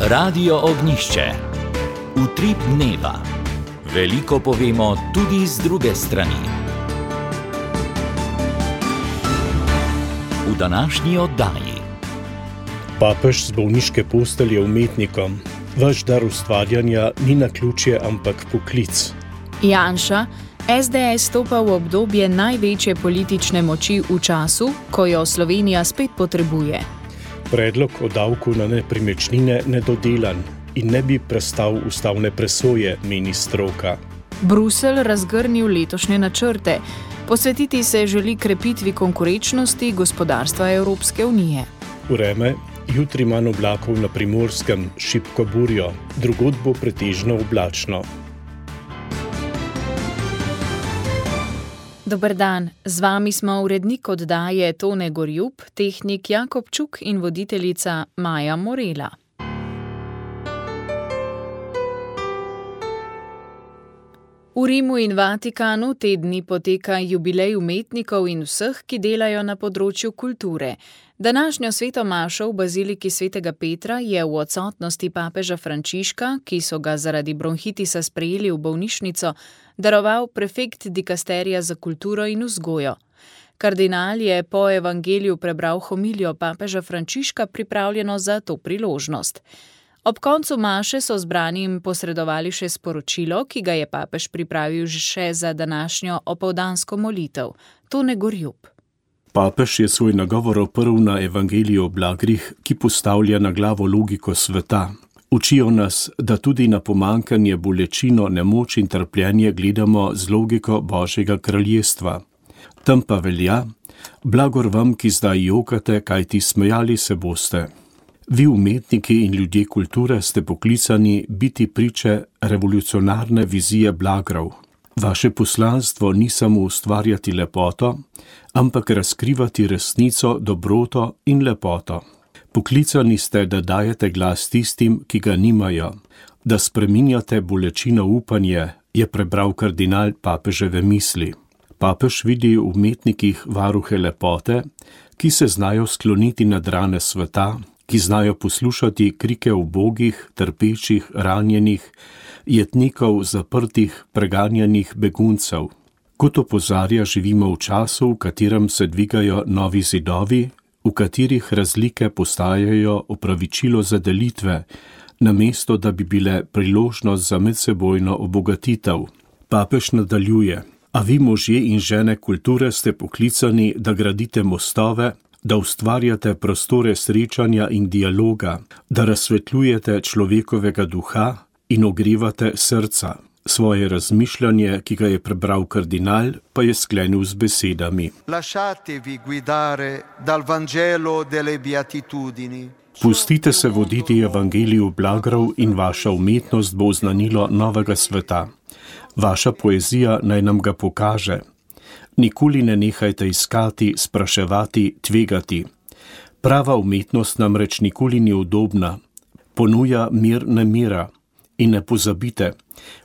Radio Ognjišče. Utrip dneva. Veliko povemo tudi z druge strani. V današnji oddaji. Papež z bolniške postelje umetnikom. Vaš dar ustvarjanja ni naključje, ampak poklic. Janša, SDS stopa v obdobje največje politične moči v času, ko jo Slovenija spet potrebuje. Predlog o davku na nepremičnine nedodelan in ne bi prestal ustavne presoje, meni stroka. Bruselj razgrnil letošnje načrte. Posvetiti se želi krepitvi konkurenčnosti gospodarstva Evropske unije. Vreme, jutri manj oblakov na Primorskem, šibko burjo, drugod bo pretežno oblačno. Dober dan, z vami smo urednik oddaje Tone Gorjup, tehnik Jakob Čuk in voditeljica Maja Morela. V Rimu in Vatikanu te dni poteka jubilej umetnikov in vseh, ki delajo na področju kulture. Današnjo sveto mašo v baziliki svetega Petra je v odsotnosti papeža Frančiška, ki so ga zaradi bronhitisa sprejeli v bolnišnico, daroval prefekt dikasterija za kulturo in vzgojo. Kardinal je po evangeliju prebral homilijo papeža Frančiška, pripravljeno za to priložnost. Ob koncu maše so zbranim posredovali še sporočilo, ki ga je papež pripravil še za današnjo opoldansko molitev. Tone Gorjup. Papež je svoj nagovor oprl na evangeliju o blagrih, ki postavlja na glavo logiko sveta. Učijo nas, da tudi na pomankanje, bolečino, nemoč in trpljenje gledamo z logiko Božjega kraljestva. Tam pa velja: blagor vam, ki zdaj jokate, kajti smejali se boste. Vi, umetniki in ljudje kulture, ste poklicani biti priče revolucionarne vizije blagrov. Vaše poslanstvo ni samo ustvarjati lepoto, ampak razkrivati resnico, dobroto in lepoto. Poklicani ste, da dajete glas tistim, ki ga nimajo, da spreminjate bolečino v upanje, je prebral kardinal papeževe misli. Papež vidi v umetnikih varuhe lepote, ki se znajo skloniti nad rane sveta, ki znajo poslušati krike ubogih, trpečih, ranjenih, jetnikov, zaprtih, preganjanih beguncev. Kot opozarja, živimo v času, v katerem se dvigajo novi zidovi, v katerih razlike postajajo opravičilo za delitve, namesto da bi bile priložnost za medsebojno obogatitev. Papež nadaljuje: a vi, možje in žene kulture, ste poklicani, da gradite mostove, da ustvarjate prostore srečanja in dialoga, da razsvetljujete človekovega duha in ogrevate srca. Svoje razmišljanje, ki ga je prebral kardinal, pa je sklenil z besedami: Lasciatevi guidare dal Vangelo delle Beatitudini. Pustite se voditi evangeliju blagrov in vaša umetnost bo oznanilo novega sveta. Vaša poezija naj nam ga pokaže. Nikoli ne nehajte iskati, spraševati, tvegati. Prava umetnost namreč nikoli ni udobna. Ponuja mir nemira. In ne pozabite,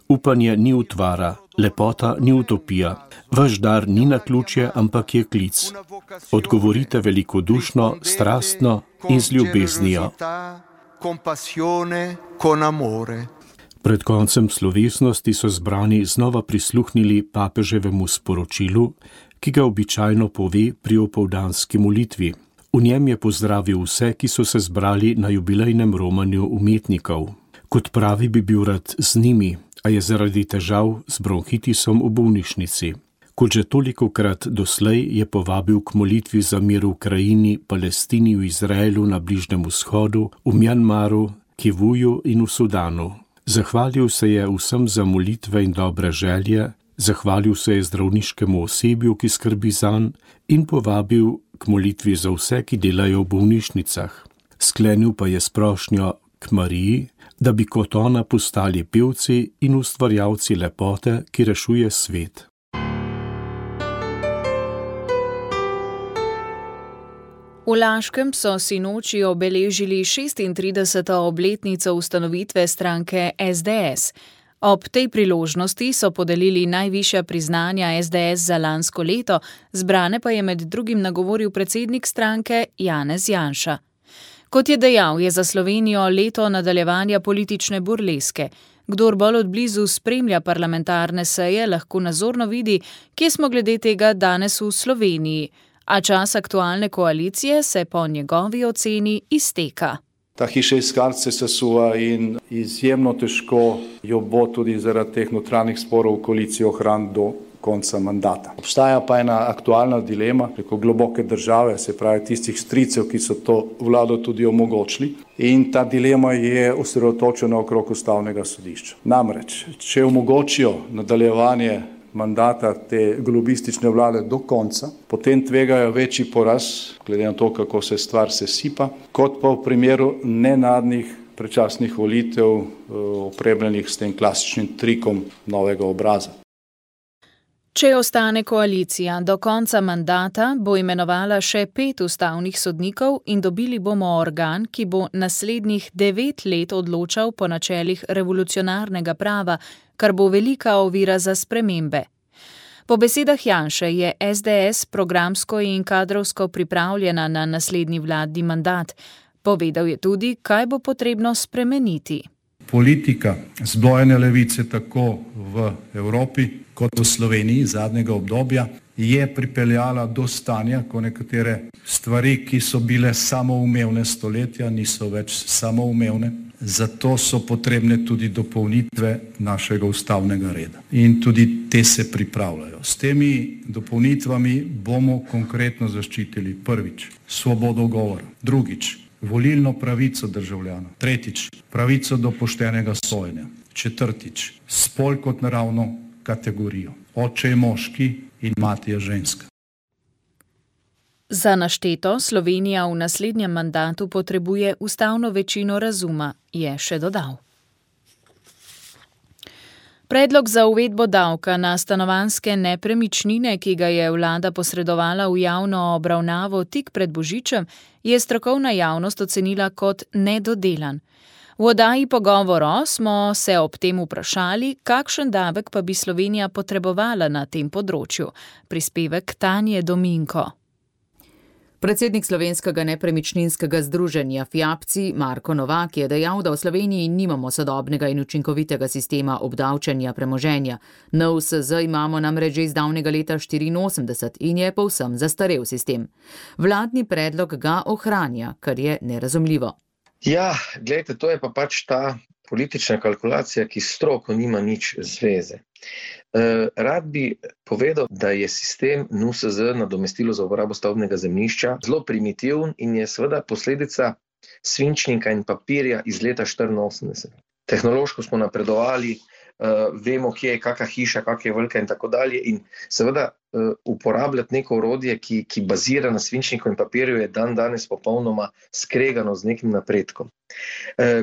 upanje ni utvara, lepota ni utopija. Vaš dar ni naključje, ampak je klic. Odgovorite velikodušno, strastno in z ljubeznijo. Pred koncem slovesnosti so zbrani znova prisluhnili papeževemu sporočilu, ki ga običajno pove pri opoldanski molitvi. V njem je pozdravil vse, ki so se zbrali na jubilejnem romanju umetnikov. Kot pravi, bi bil rad z njimi, a je zaradi težav z bronhitisom v bolnišnici. Kot že tolikokrat doslej je povabil k molitvi za mir v Ukrajini, Palestini, v Izraelu, na Bližnjem vzhodu, v Mjanmaru, Kivuju in v Sudanu. Zahvalil se je vsem za molitve in dobre želje, zahvalil se je zdravniškemu osebju, ki skrbi zanj, in povabil k molitvi za vse, ki delajo v bolnišnicah. Sklenil pa je s prošnjo k Mariji, da bi kot ona postali pevci in ustvarjalci lepote, ki rešuje svet. V Laškem so sinoči obeležili 36. obletnico ustanovitve stranke SDS. Ob tej priložnosti so podelili najvišja priznanja SDS za lansko leto, zbrane pa je med drugim nagovoril predsednik stranke Janez Janša. Kot je dejal, je za Slovenijo leto nadaljevanja politične burleske. Kdor bolj od blizu spremlja parlamentarne seje, lahko nazorno vidi, kje smo glede tega danes v Sloveniji. A čas aktualne koalicije se po njegovi oceni izteka. Ta hiša iz kart se sesuva in izjemno težko jo bo tudi zaradi teh notranjih sporov v koaliciji ohraniti do konca mandata. Obstaja pa ena aktualna dilema preko globoke države, se pravi tistih stricev, ki so to vlado tudi omogočili, in ta dilema je osredotočena okrog ustavnega sodišča. Namreč, če omogočijo nadaljevanje mandata te globistične vlade do konca, potem tvegajo večji poraz, glede na to, kako se stvar sesipa, kot pa v primeru nenadnih predčasnih volitev, opremljenih s tem klasičnim trikom novega obraza. Če ostane koalicija do konca mandata, bo imenovala še 5 ustavnih sodnikov in dobili bomo organ, ki bo naslednjih 9 let odločal po načelih revolucionarnega prava, kar bo velika ovira za spremembe. Po besedah Janše je SDS programsko in kadrovsko pripravljena na naslednji vladni mandat. Povedal je tudi, kaj bo potrebno spremeniti. Politika zbojene levice tako v Evropi kot v Sloveniji zadnjega obdobja je pripeljala do stanja, ko nekatere stvari, ki so bile samoumevne stoletja, niso več samoumevne. Zato so potrebne tudi dopolnitve našega ustavnega reda. In tudi te se pripravljajo. S temi dopolnitvami bomo konkretno zaščitili prvič svobodo govora, drugič volilno pravico državljana, tretjič pravico do poštenega sojenja, četrtič spol kot naravno kategorijo. Oče je moški in mati je ženska. Za našteto Slovenija v naslednjem mandatu potrebuje ustavno večino razuma, je še dodal. Predlog za uvedbo davka na stanovanjske nepremičnine, ki ga je vlada posredovala v javno obravnavo tik pred Božičem, je strokovna javnost ocenila kot nedodelan. V oddaji Pogovoro smo se ob tem vprašali, kakšen davek pa bi Slovenija potrebovala na tem področju. Prispevek Tanje Dominko. Predsednik Slovenskega nepremičninskega združenja FIAPCI Marko Novak je dejal, da v Sloveniji nimamo sodobnega in učinkovitega sistema obdavčenja premoženja. NUSZ imamo namreč že iz davnega leta 1984 in je povsem zastarel sistem. Vladni predlog ga ohranja, kar je nerazumljivo. Ja, gledajte, to je pa pač ta politična kalkulacija, ki s stroko nima nič zveze. Rad bi povedal, da je sistem NUSZ, nadomestilo za uporabo stavbnega zemljišča, zelo primitiven in je seveda posledica svinčnika in papirja iz leta 1984. Tehnološko smo napredovali, vemo, kje je kakšna hiša, kakšna je velika in tako dalje, in seveda uporabljati neko orodje, ki bazira na svinčniku in papirju, je danes popolnoma skregano z nekim napredkom.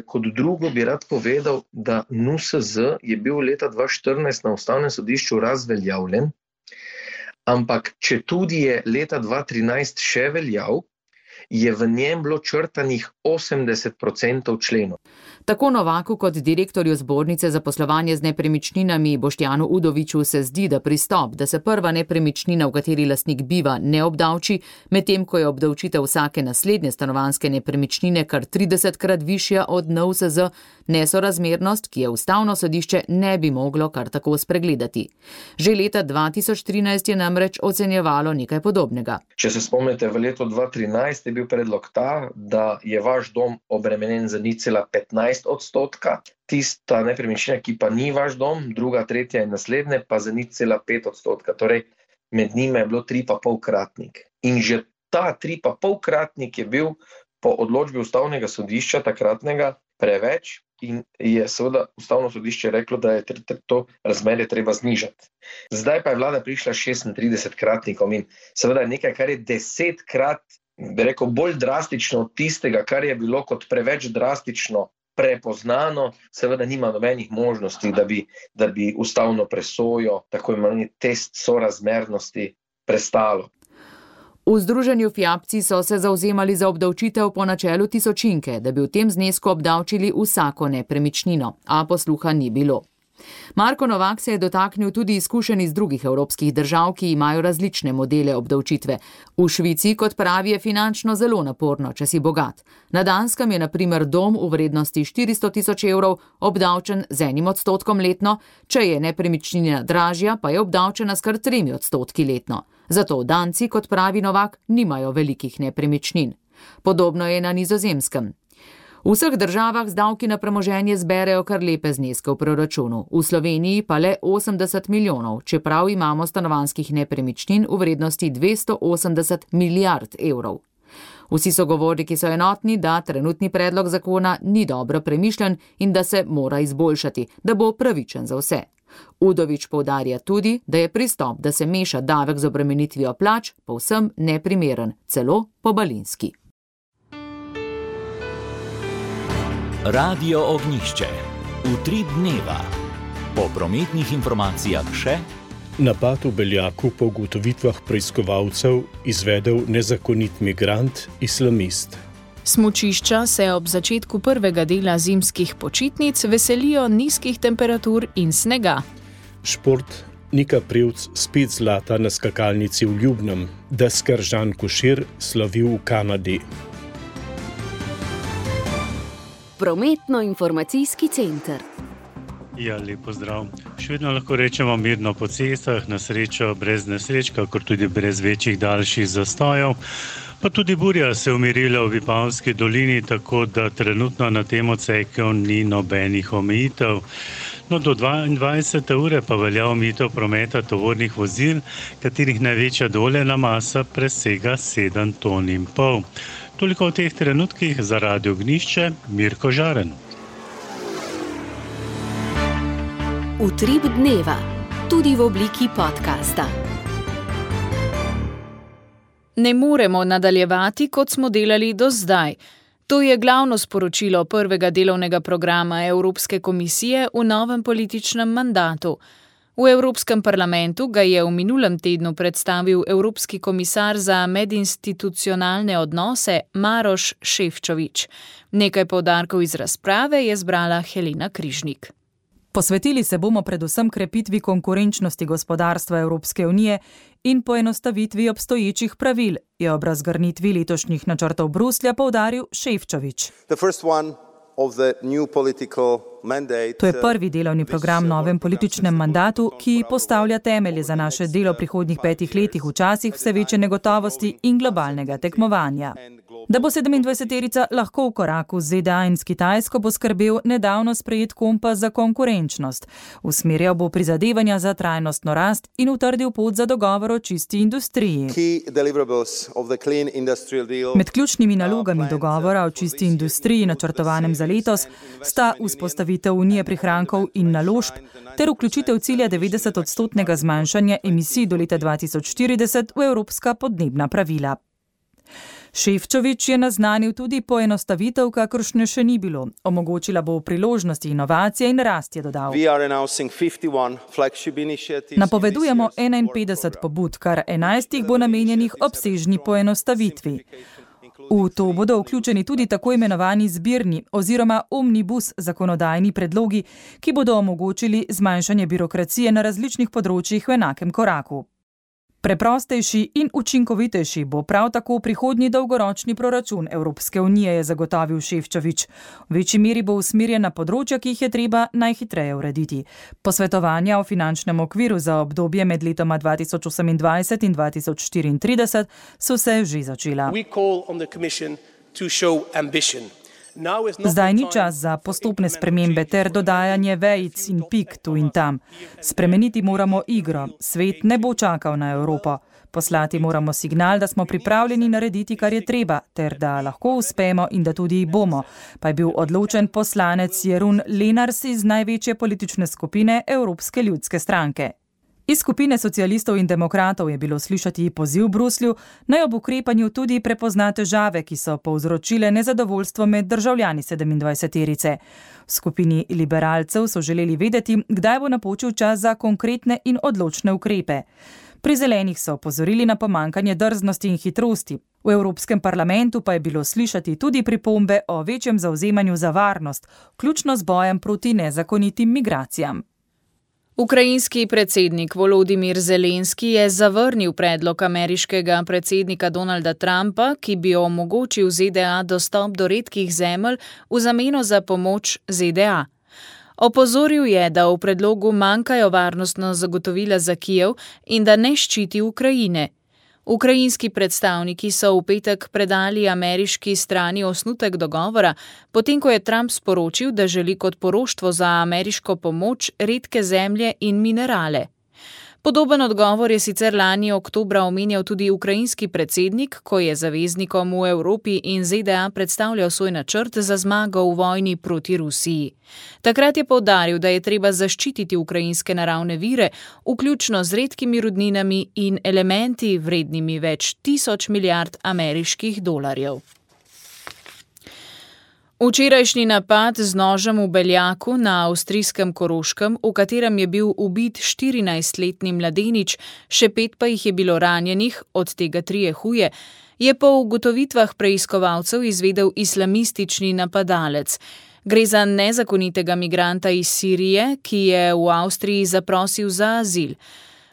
Kot drugo bi rad povedal, da NUSZ je bil leta 2014 na Ustavnem sodišču razveljavljen, ampak če tudi je leta 2013 še veljav, je v njem bilo črtanih 80% členov. Tako Novaku kot direktorju Zbornice za poslovanje z nepremičninami Boštjanu Udoviču se zdi, da pristop, da se prva nepremičnina, v kateri lastnik biva, ne obdavči, medtem ko je obdavčitev vsake naslednje stanovanjske nepremičnine kar 30-krat višja od NUSZ, nesorazmernost, ki je Ustavno sodišče ne bi moglo kar tako spregledati. Že leta 2013 je namreč ocenjevalo nekaj podobnega. Če se spomnite, v letu 2013 je bil predlog ta, da je vaš dom obremenjen za 0,15%, tista nepremičnina, ki pa ni vaš dom, druga, tretja in naslednje, pa za 0,5%. Torej, med njima je bilo 3,5-kratnik. In že ta 3,5-kratnik je bil po odločbi Ustavnega sodišča takratnega preveč in je seveda Ustavno sodišče reklo, da je to razmerje treba znižati. Zdaj pa je vlada prišla 36-kratnikom in seveda nekaj, kar je 10-krat, bi rekel, bolj drastično od tistega, kar je bilo kot preveč drastično prepoznano, seveda nima nobenih možnosti, da bi ustavno presojo, tako imenovani test sorazmernosti, prestalo. V združenju FIAPCI so se zavzemali za obdavčitev po načelu tisočinke, da bi v tem znesku obdavčili vsako nepremičnino, a posluha ni bilo. Marko Novak se je dotaknil tudi izkušenj iz drugih evropskih držav, ki imajo različne modele obdavčitve. V Švici, kot pravi, je finančno zelo naporno, če si bogat. Na Danskem je na primer dom v vrednosti 400 tisoč evrov obdavčen z 1% letno, če je nepremičnina dražja, pa je obdavčena s kar 3% letno. Zato Danci, kot pravi Novak, nimajo velikih nepremičnin. Podobno je na Nizozemskem. V vseh državah z davki na premoženje zberejo kar lepe zneske v proračunu, v Sloveniji pa le 80 milijonov, čeprav imamo stanovanjskih nepremičnin v vrednosti 280 milijard evrov. Vsi sogovorniki so enotni, da trenutni predlog zakona ni dobro premišljen in da se mora izboljšati, da bo pravičen za vse. Udovič poudarja tudi, da je pristop, da se meša davek z obremenitvijo plač, povsem neprimeren, celo pobalinski. Radio Ognjišče. Utrip dneva. Po prometnih informacijah še: napad v Beljaku po ugotovitvah preiskovalcev izvedel nezakonit migrant, islamist. Smučišča se ob začetku prvega dela zimskih počitnic veselijo nizkih temperatur in snega. Šport. Nika Prevc spet zlata na skakalnici v Ljubnem, deskar Žan Košir slovi v Kanadi. Prometno-informacijski center. Ja, lep pozdrav. Še vedno lahko rečemo mirno po cestah, na srečo brez nesreč, kakor tudi brez večjih daljših zastojev. Pa tudi burja se umirila v Vipavski dolini, tako da trenutno na tem odseku ni nobenih omejitev. No, do 22. ure pa velja omejitev prometa tovornih vozil, katerih največja dovoljena masa presega 7,5 ton. Toliko v teh trenutkih za Radio Ognjišče, Mirko Žaren. Utrip dneva, tudi v obliki podcasta. Ne moremo nadaljevati, kot smo delali do zdaj. To je glavno sporočilo prvega delovnega programa Evropske komisije v novem političnem mandatu. V Evropskem parlamentu ga je v minulem tednu predstavil Evropski komisar za medinstitucionalne odnose Maroš Šefčovič. Nekaj poudarkov iz razprave je zbrala Helena Križnik. Posvetili se bomo predvsem krepitvi konkurenčnosti gospodarstva Evropske unije in poenostavitvi obstoječih pravil, je ob razgrnitvi letošnjih načrtov Bruslja poudaril Šefčovič. To je prvi delovni program v novem političnem mandatu, ki postavlja temelje za naše delo prihodnjih 5 letih v časih vse večje negotovosti in globalnega tekmovanja. Da bo 27-terica lahko v koraku z ZDA in s Kitajsko, bo skrbel nedavno sprejet kompas za konkurenčnost. Usmerjal bo prizadevanja za trajnostno rast in utrdil pot za dogovor o čisti industriji. Med ključnimi nalogami dogovora o čisti industriji, načrtovanem za letos, sta vzpostavitev unije prihrankov in naložb ter vključitev cilja 90% zmanjšanja emisij do leta 2040 v evropska podnebna pravila. Šefčovič je naznanil tudi poenostavitev, kakršne še ni bilo. Omogočila bo priložnosti inovacije in rast, je dodal. Napovedujemo 51 pobud, kar 11 bo namenjenih obsežni poenostavitvi. V to bodo vključeni tudi tako imenovani zbirni oziroma omnibus zakonodajni predlogi, ki bodo omogočili zmanjšanje birokracije na različnih področjih v enakem koraku. Preprostejši in učinkovitejši bo prav tako prihodnji dolgoročni proračun Evropske unije, je zagotovil Šefčovič. V večji meri bo usmerjen na področja, ki jih je treba najhitreje urediti. Posvetovanja o finančnem okviru za obdobje med letoma 2028 in 2034 so se že začela. Zdaj ni čas za postopne spremembe ter dodajanje vejic in pik tu in tam. Spremeniti moramo igro. Svet ne bo čakal na Evropo. Poslati moramo signal, da smo pripravljeni narediti, kar je treba, ter da lahko uspemo in da tudi bomo, pa je bil odločen poslanec Jeroen Lenaers iz največje politične skupine Evropske ljudske stranke. Iz skupine socialistov in demokratov je bilo slišati poziv Bruslju, naj ob ukrepanju tudi prepozna težave, ki so povzročile nezadovoljstvo med državljani 27-terice. V skupini liberalcev so želeli vedeti, kdaj bo napočil čas za konkretne in odločne ukrepe. Pri zelenih so opozorili na pomanjkanje drznosti in hitrosti. V Evropskem parlamentu pa je bilo slišati tudi pripombe o večjem zavzemanju za varnost, vključno z bojem proti nezakonitim migracijam. Ukrajinski predsednik Volodimir Zelenski je zavrnil predlog ameriškega predsednika Donalda Trumpa, ki bi omogočil ZDA dostop do redkih zemelj v zameno za pomoč ZDA. Opozoril je, da v predlogu manjkajo varnostna zagotovila za Kijev in da ne ščiti Ukrajine. Ukrajinski predstavniki so v petek predali ameriški strani osnutek dogovora, potem ko je Trump sporočil, da želi kot poroštvo za ameriško pomoč redke zemlje in minerale. Podoben odgovor je sicer lani oktobra omenjal tudi ukrajinski predsednik, ko je zaveznikom v Evropi in ZDA predstavljal svoj načrt za zmago v vojni proti Rusiji. Takrat je poudaril, da je treba zaščititi ukrajinske naravne vire, vključno z redkimi rudninami in elementi vrednimi več 1000 milijard ameriških dolarjev. Včerajšnji napad z nožem v Beljaku na avstrijskem Koroškem, v katerem je bil ubit 14-letni mladenič, še 5 pa jih je bilo ranjenih, od tega 3 huje, je po ugotovitvah preiskovalcev izvedel islamistični napadalec. Gre za nezakonitega migranta iz Sirije, ki je v Avstriji zaprosil za azil.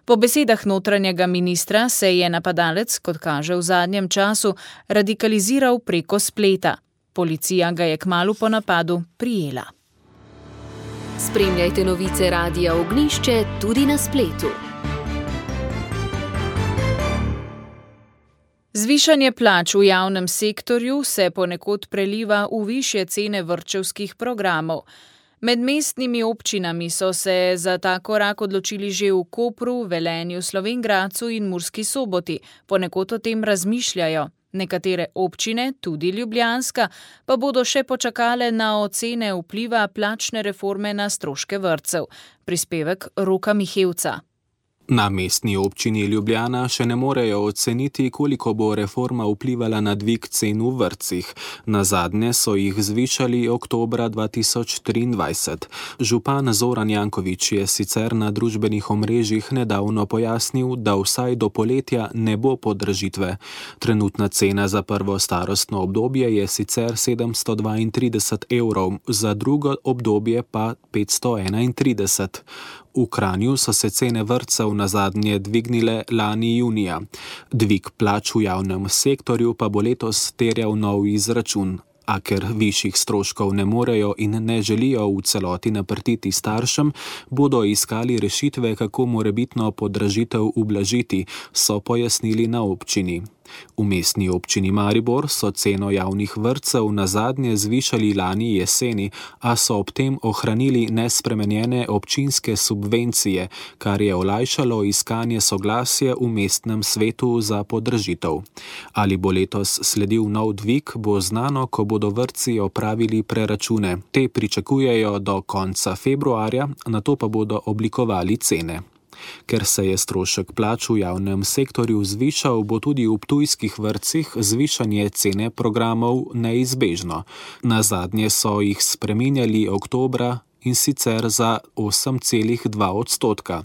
Po besedah notranjega ministra se je napadalec, kot kaže v zadnjem času, radikaliziral preko spleta. Policija ga je kmalu po napadu prijela. Spremljajte novice Radia Ognjišče tudi na spletu. Zvišanje plač v javnem sektorju se ponekod preliva v višje cene vrtčevskih programov. Med mestnimi občinami so se za ta korak odločili že v Kopru, Velenju, Slovenj Gradcu in Murski Soboti. Ponekod o tem razmišljajo. Nekatere občine, tudi ljubljanska, pa bodo še počakale na ocene vpliva plačne reforme na stroške vrtcev. Prispevek Roka Mihevca. Na mestni občini Ljubljana še ne morejo oceniti, koliko bo reforma vplivala na dvig cen v vrtcih. Nazadnje so jih zvišali oktobra 2023. Župan Zoran Janković je sicer na družbenih omrežjih nedavno pojasnil, da vsaj do poletja ne bo podražitve. Trenutna cena za prvo starostno obdobje je sicer 732 €, za drugo obdobje pa 531. V Kranju so se cene vrtcev nazadnje dvignile lani junija. Dvig plač v javnem sektorju pa bo letos terjal nov izračun. A ker višjih stroškov ne morejo in ne želijo v celoti naprtiti staršem, bodo iskali rešitve, kako morebitno podražitev ublažiti, so pojasnili na občini. V mestni občini Maribor so ceno javnih vrtcev nazadnje zvišali lani jeseni, a so ob tem ohranili nespremenjene občinske subvencije, kar je olajšalo iskanje soglasja v mestnem svetu za podražitev. Ali bo letos sledil nov dvig, bo znano, ko bodo vrtci opravili preračune. Te pričakujejo do konca februarja, nato pa bodo oblikovali cene. Ker se je strošek plač v javnem sektorju zvišal, bo tudi v ptujskih vrtcih zvišanje cene programov neizbežno. Nazadnje so jih spreminjali oktobra in sicer za 8,2 %.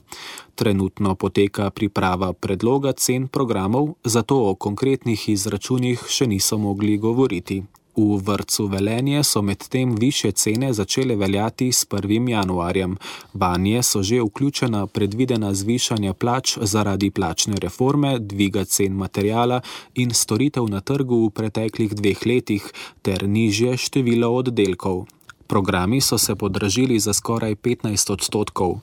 Trenutno poteka priprava predloga cen programov, zato o konkretnih izračunih še niso mogli govoriti. V vrtcu Velenje so medtem višje cene začele veljati s 1. januarjem. Vanje so že vključena predvidena zvišanja plač zaradi plačne reforme, dviga cen materiala in storitev na trgu v preteklih 2 letih ter nižje število oddelkov. Programi so se podražili za skoraj 15 %.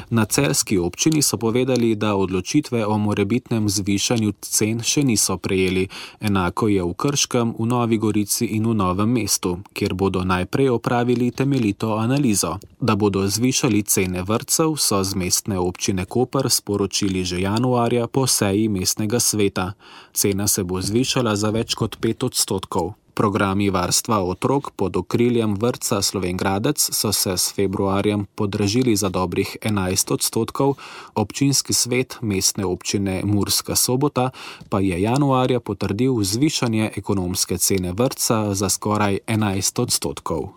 Na celjski občini so povedali, da odločitve o morebitnem zvišanju cen še niso prejeli. Enako je v Krškem, v Novi Gorici in v Novem mestu, kjer bodo najprej opravili temeljito analizo. Da bodo zvišali cene vrtcev, so z mestne občine Koper sporočili že januarja po seji mestnega sveta. Cena se bo zvišala za več kot 5 %. Programi varstva otrok pod okriljem vrtca Slovenj Gradec so se s februarjem podražili za dobrih 11 %, občinski svet mestne občine Murska Sobota pa je januarja potrdil zvišanje ekonomske cene vrtca za skoraj 11 %.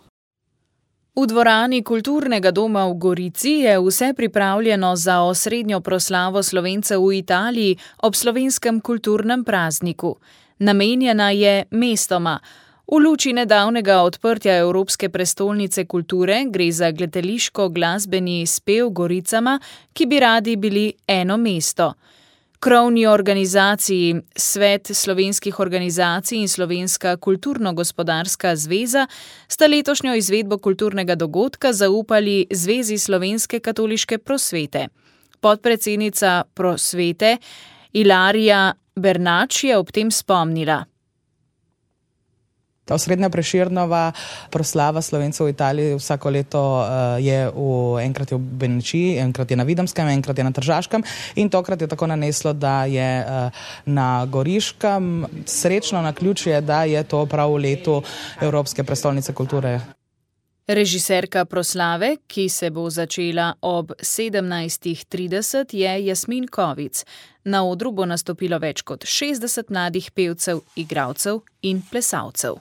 V dvorani Kulturnega doma v Gorici je vse pripravljeno za osrednjo proslavo Slovencev v Italiji ob slovenskem kulturnem prazniku. Namenjena je mestoma. V luči nedavnega odprtja Evropske prestolnice kulture gre za gledališko-glasbeni spev Goricama, ki bi radi bili eno mesto. Krovni organizaciji Svet slovenskih organizacij in Slovenska kulturno-gospodarska zveza sta letošnjo izvedbo kulturnega dogodka zaupali Zvezi slovenske katoliške prosvete. Podpredsednica prosvete Ilarija Bernač je ob tem spomnila. Ta osrednja Prešernova proslava Slovencev v Italiji vsako leto je enkrat je v Benečiji, enkrat je na Videmskem, enkrat je na Tržaškem in tokrat je tako naneslo, da je na Goriškem. Srečno naključje, da je to prav v letu Evropske prestolnice kulture. Režiserka proslave, ki se bo začela ob 17:30, je Jasmin Kovic. Na odru bo nastopilo več kot 60 mladih pevcev, igralcev in plesalcev.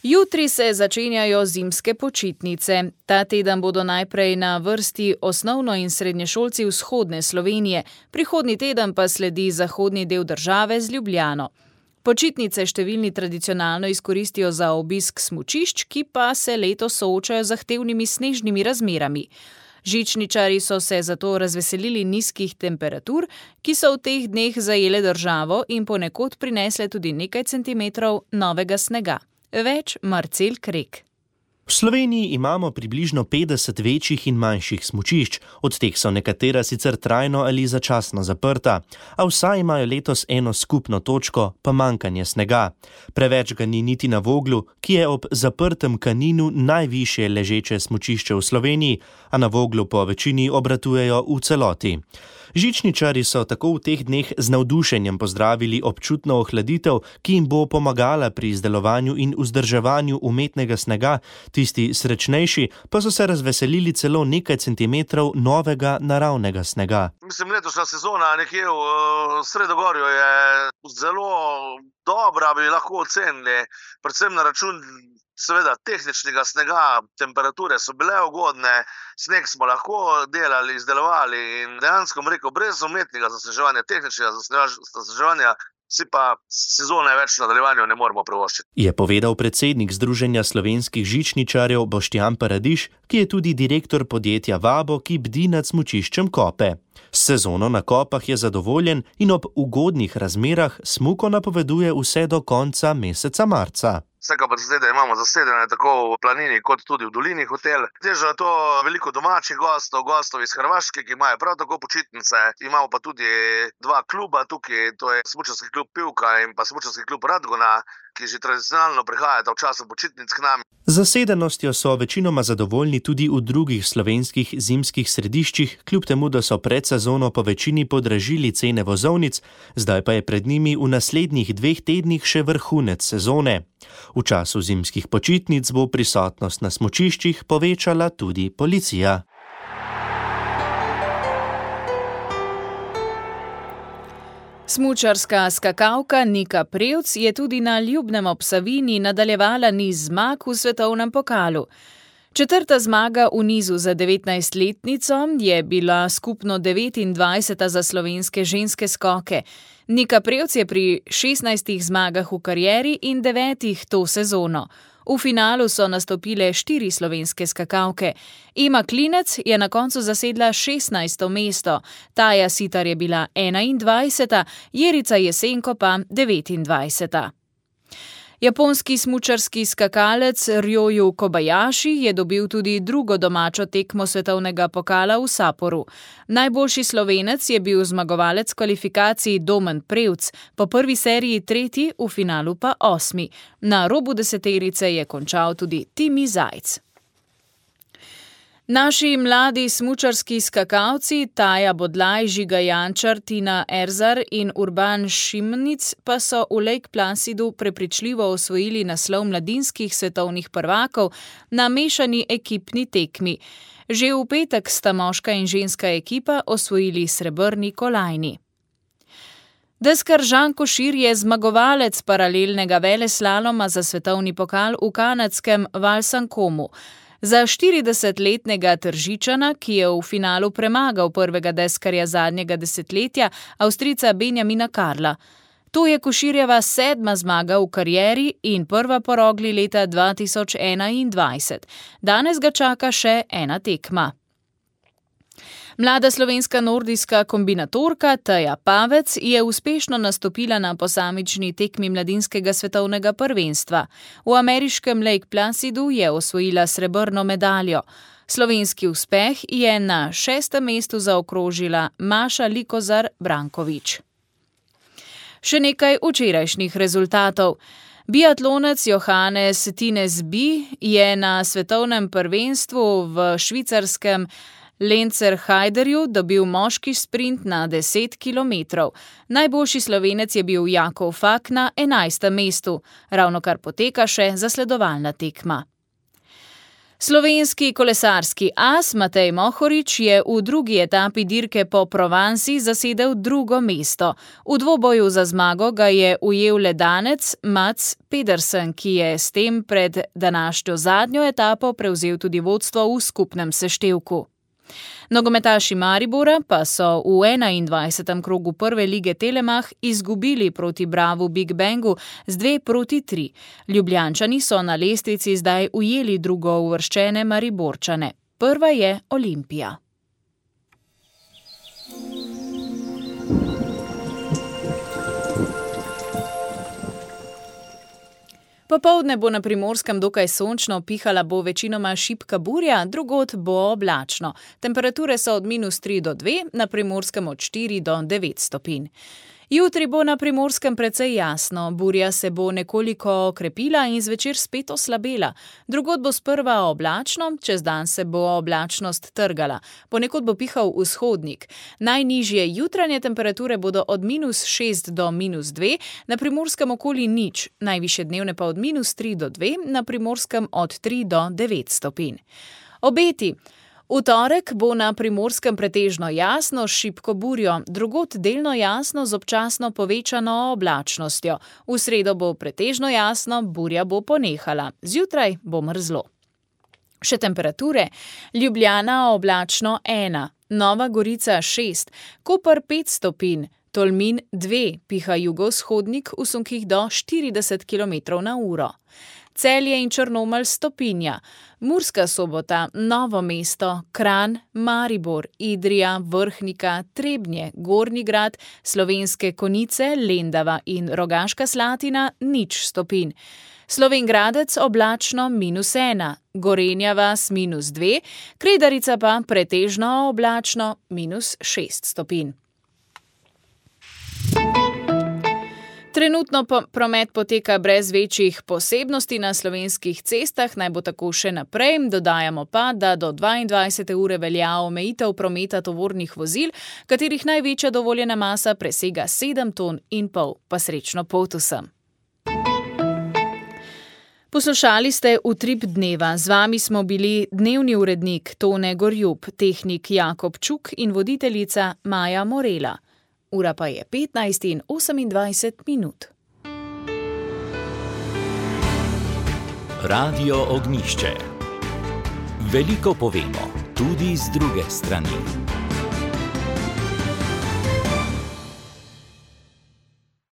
Jutri se začenjajo zimske počitnice. Ta teden bodo najprej na vrsti osnovno- in srednješolci vzhodne Slovenije, prihodnji teden pa sledi zahodni del države z Ljubljano. Počitnice številni tradicionalno izkoristijo za obisk smučišč, ki pa se letos soočajo z zahtevnimi snežnimi razmerami. Žičničarji so se zato razveselili nizkih temperatur, ki so v teh dneh zajele državo in ponekod prinesle tudi nekaj centimetrov novega snega. Več Marcel Krek. V Sloveniji imamo približno 50 večjih in manjših smučišč, od teh so nekatera sicer trajno ali začasno zaprta, a vsa imajo letos eno skupno točko, pomanjkanje snega. Preveč ga ni niti na Voglu, ki je ob zaprtem Kaninu najvišje ležeče smučišče v Sloveniji, a na Voglu po večini obratujejo v celoti. Žičničarji so tako v teh dneh z navdušenjem pozdravili občutno ohladitev, ki jim bo pomagala pri izdelovanju in vzdrževanju umetnega snega, tisti srečnejši pa so se razveselili celo nekaj centimetrov novega naravnega snega. Mislim, letošnja sezona nekje v Sredogorju je zelo dobra, bi lahko ocenili, predvsem na račun seveda tehničnega snega, temperature so bile ugodne, sneg smo lahko delali, izdelovali in dejansko, rekel, brez umetnega zasneževanja, tehničnega zasneževanja, si pa sezone več v nadaljevanju ne moremo privoščiti. Je povedal predsednik Združenja slovenskih žičničarjev Boštjan Paradiž, ki je tudi direktor podjetja Vabo, ki bdi nad smučiščem Kope. S sezono na Kopah je zadovoljen in ob ugodnih razmerah smuko napoveduje vse do konca meseca marca. Vse kapacitete imamo zasedene tako v planini kot tudi v dolini hotel. Težo je to veliko domačih gostov iz Hrvaške, ki imajo prav tako počitnice. Imamo pa tudi dva kluba tukaj, to je smučarski klub Pivka in pa smučarski klub Radgona, ki že tradicionalno prihajata v času počitnic k nam. Z zasedenostjo so večinoma zadovoljni tudi v drugih slovenskih zimskih središčih, kljub temu, da so pred sezono po večini podražili cene vozovnic, zdaj pa je pred njimi v naslednjih 2 tednih še vrhunec sezone. V času zimskih počitnic bo prisotnost na smučiščih povečala tudi policija. Smučarska skakalka Nika Prevc je tudi na Ljubnem ob Savinji nadaljevala niz zmag v svetovnem pokalu. 4. zmaga v nizu za 19-letnico je bila skupno 29. za slovenske ženske skoke. Nika Prevc je pri 16 zmagah v karieri in 9 to sezono. V finalu so nastopile 4 slovenske skakalke. Ema Klinec je na koncu zasedla 16. mesto, Taja Sitar je bila 21., Jerica Jesenko pa 29. Japonski smučarski skakalec Ryoyu Kobayashi je dobil tudi drugo domačo tekmo svetovnega pokala v Sapporu. Najboljši Slovenec je bil zmagovalec kvalifikacij Domen Prevc, po prvi seriji 3., v finalu pa 8. Na robu deseterice je končal tudi Timi Zajc. Naši mladi smučarski skakalci Taja Bodlaj, Žiga Jančar, Tina Erzar in Urban Šimnic pa so v Lake Placidu prepričljivo osvojili naslov mladinskih svetovnih prvakov na mešani ekipni tekmi. Že v petek sta moška in ženska ekipa osvojili srebrni kolajni. Deskar Žan Košir je zmagovalec paralelnega veleslaloma za svetovni pokal v kanadskem Valsankomu. Za 40-letnega Tržičana, ki je v finalu premagal prvega deskarja zadnjega desetletja, Avstrijca Benjamina Karla. To je Koširjeva 7. zmaga v karieri in prva po Rogli leta 2021. Danes ga čaka še ena tekma. Mlada slovenska nordijska kombinatorka Teja Pavec je uspešno nastopila na posamični tekmi mladinskega svetovnega prvenstva. V ameriškem Lake Placidu je osvojila srebrno medaljo. Slovenski uspeh je na 6. mestu zaokrožila Maša Likozar Brankovič. Še nekaj včerajšnjih rezultatov. Biatlonec Johannes Tinesby je na svetovnem prvenstvu v švicarskem Lenzerheiderju dobil moški sprint na 10 km. Najboljši Slovenec je bil Jakov Fak na 11. mestu. Ravnokar poteka še zasledovalna tekma. Slovenski kolesarski as Matej Mohorič je v drugi etapi dirke po Provansi zasedel 2. mesto. V dvoboju za zmago ga je ujel le danec Mats Pedersen, ki je s tem pred današnjo zadnjo etapo prevzel tudi vodstvo v skupnem seštevku. Nogometaši Maribora pa so v 21. krogu prve lige Telemach izgubili proti Bravu Big Bangu z 2-3. Ljubljančani so na lestvici zdaj ujeli drugouvrščene Mariborčane. Prva je Olimpija. Popoldne bo na Primorskem dokaj sončno, pihala bo večinoma šibka burja, drugod bo oblačno. Temperature so od -3 do 2, na Primorskem od 4 do 9 stopinj. Jutri bo na Primorskem precej jasno, burja se bo nekoliko okrepila in zvečer spet oslabela. Drugod bo sprva oblačno, čez dan se bo oblačnost trgala. Ponekod bo pihal vzhodnik. Najnižje jutranje temperature bodo od -6 do -2, na Primorskem okoli 0, najvišje dnevne pa od -3 do 2, na Primorskem od 3 do 9 stopinj. Obeti. V torek bo na Primorskem pretežno jasno s šibko burjo, drugod delno jasno z občasno povečano oblačnostjo. V sredo bo pretežno jasno, burja bo ponehala. Zjutraj bo mrzlo. Še temperature. Ljubljana oblačno 1, Nova Gorica 6, Koper 5 stopinj, Tolmin 2, piha jugovzhodnik v sunkih do 40 km/h. Celje in Črnomelj stopinja, Murska Sobota, Novo mesto, Kranj, Maribor, Idrija, Vrhnika, Trebnje, Gornji Grad, Slovenske Konjice, Lendava in Rogaška Slatina 0 stopinj. Slovenj Gradec oblačno -1, Gorenja vas -2, Kredarica pa pretežno oblačno -6 stopinj. Trenutno promet poteka brez večjih posebnosti na slovenskih cestah, naj bo tako še naprej. Dodajamo pa, da do 22. ure velja omejitev prometa tovornih vozil, katerih največja dovoljena masa presega 7,5 ton. Pa srečno pot vsem. Poslušali ste Utrip dneva. Z vami smo bili dnevni urednik Tone Gorjup, tehnik Jakob Čuk in voditeljica Maja Morela. Ura pa je 15:28. Radio Ognjišče. Veliko povemo, tudi z druge strani.